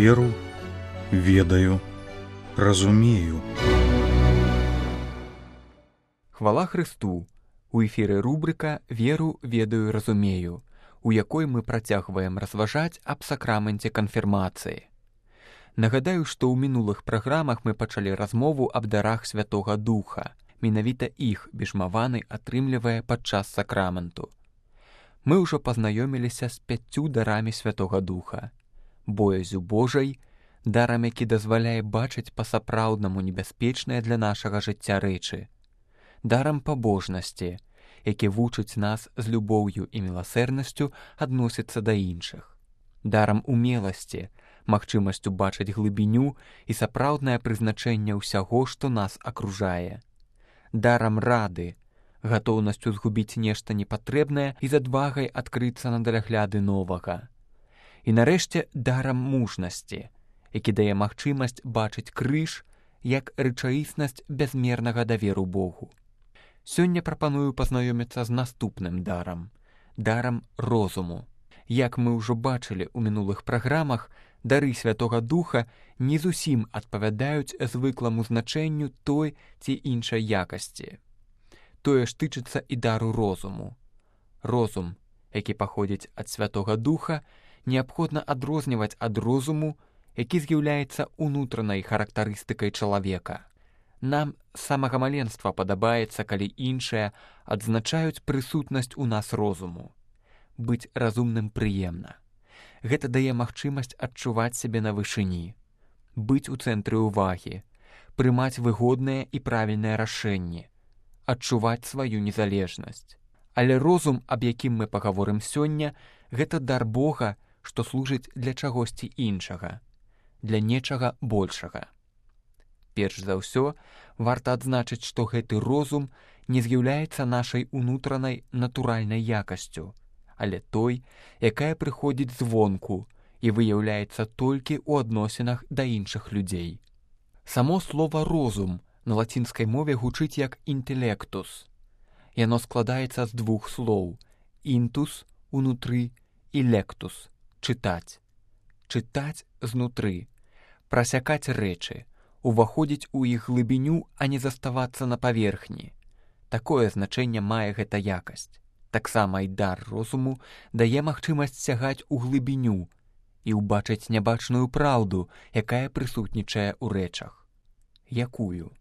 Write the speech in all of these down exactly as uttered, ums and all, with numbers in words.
Веру, ведаю, разумею. Хвала Христу! У эфіры рубрыка «Веру, ведаю, разумею», у якой мы працягваем разважаць аб сакраменце канфірмацыі. Нагадаю, што ў мінулых праграмах мы пачалі размову аб дарах Святога Духа. Менавіта іх бежмаваны атрымлівае падчас сакраменту. Мы ўжо пазнаёміліся з пяццю дарамі Святога Духа. Боязю Божай, дарам, які дазваляе бачыць па-сапраўднаму небяспечныя для нашага жыцця рэчы. Дарам пабожнасці, які вучыць нас з любоўю і міласэрнасцю адносіцца да іншых. Дарам умеласці, магчымасцю бачыць глыбіню і сапраўднае прызначэнне ўсяго, што нас акружае. Дарам рады, гатоўнасцю згубіць нешта непатрэбнае і з адвагай адкрыцца на далягляды новага. І нарэшце дарам мужнасці, які дае магчымасць бачыць крыж як рэчаіснасць бязмернага даверу Богу. Сёння прапаную пазнаёміцца з наступным дарам, дарам розуму. Як мы ўжо бачылі ў мінулых праграмах, дары Святога Духа не зусім адпавядаюць звыкламу значэнню той ці іншай якасці. Тое ж тычыцца і дару розуму. Розум, які паходзіць ад Святога Духа, неабходна адрозніваць ад розуму, які з'яўляецца ўнутранай характарыстыкай чалавека. Нам з самага маленства падабаецца, калі іншыя адзначаюць прысутнасць у нас розуму. Быць разумным прыемна. Гэта дае магчымасць адчуваць сябе на вышыні, быць у цэнтры ўвагі, прымаць выгодныя і правільныя рашэнні, адчуваць сваю незалежнасць. Але розум, аб якім мы пагаворым сёння, гэта дар Бога, што служыць для чагосьці іншага, для нечага большага. Перш за ўсё, варта адзначыць, што гэты розум не з'яўляецца нашай унутранай натуральнай якасцю, але той, якая прыходзіць звонку і выяўляецца толькі ў адносінах да іншых людзей. Само слова «розум» на лацінскай мове гучыць як «інтэлектус». Яно складаецца з двух слоў «інтус» — «унутры» і «лектус» — «чытаць». Чытаць знутры, прасякаць рэчы, уваходзіць у іх глыбіню, а не заставацца на паверхні. Такое значэнне мае гэта якасць. Таксама і дар розуму дае магчымасць сягаць у глыбіню і ўбачыць нябачную праўду, якая прысутнічае ў рэчах. Якую?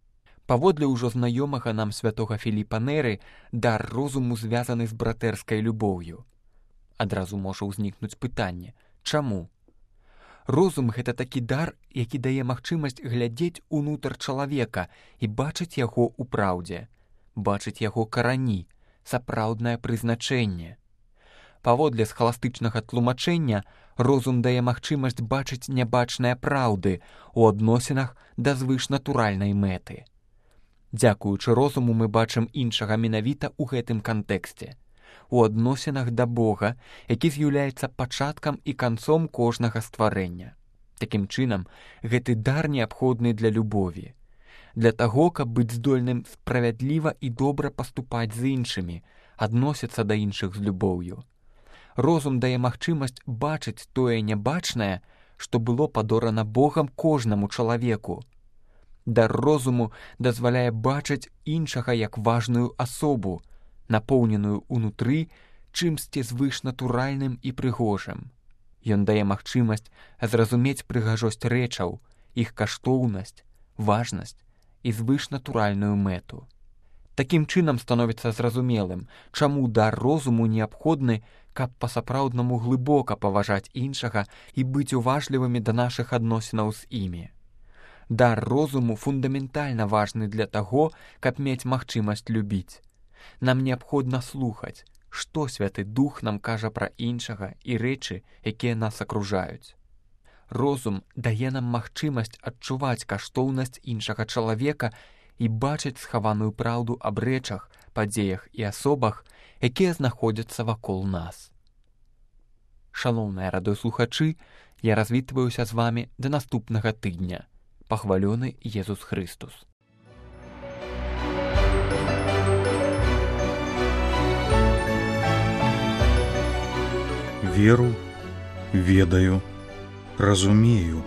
Паводле ўжо знаёмага нам святога Філіпа Неры, дар розуму звязаны з братэрскай любоўю. Адразу можа ўзнікнуць пытанне: чаму? Розум — гэта такі дар, які дае магчымасць глядзець унутр чалавека і бачыць яго ў праўдзе, бачыць яго карані, сапраўднае прызначэнне. Паводле схаластычнага тлумачэння, розум дае магчымасць бачыць нябачныя праўды ў адносінах да звышнатуральнай мэты. Дзякуючы розуму мы бачым іншага менавіта ў гэтым кантэксце, у адносінах да Бога, які з'яўляецца пачаткам і канцом кожнага стварэння. Такім чынам, гэты дар неабходны для любові, для таго, каб быць здольным справядліва і добра паступаць з іншымі, адносіцца да іншых з любоўю. Розум дае магчымасць бачыць тое нябачнае, што было падорана Богам кожнаму чалавеку. Дар розуму дазваляе бачыць іншага як важную асобу, напоўненую ўнутры чымсьці звышнатуральным і прыгожым. Ён дае магчымасць зразумець прыгажосць рэчаў, іх каштоўнасць, важнасць і звышнатуральную мэту. Такім чынам становіцца зразумелым, чаму дар розуму неабходны, каб па-сапраўднаму глыбока паважаць іншага і быць уважлівымі да нашых адносінаў з імі. Дар розуму фундаментальна важны для таго, каб мець магчымасць любіць. Нам неабходна слухаць, што Святы Дух нам кажа пра іншага і рэчы, якія нас акружаюць. Розум дае нам магчымасць адчуваць каштоўнасць іншага чалавека і бачыць схаваную праўду аб рэчах, падзеях і асобах, якія знаходзяцца вакол нас. Шаноўныя радыёслухачы, я развітваюся з вамі да наступнага тыдня. Пахвалёны Езус Христус. Веру, ведаю, разумею.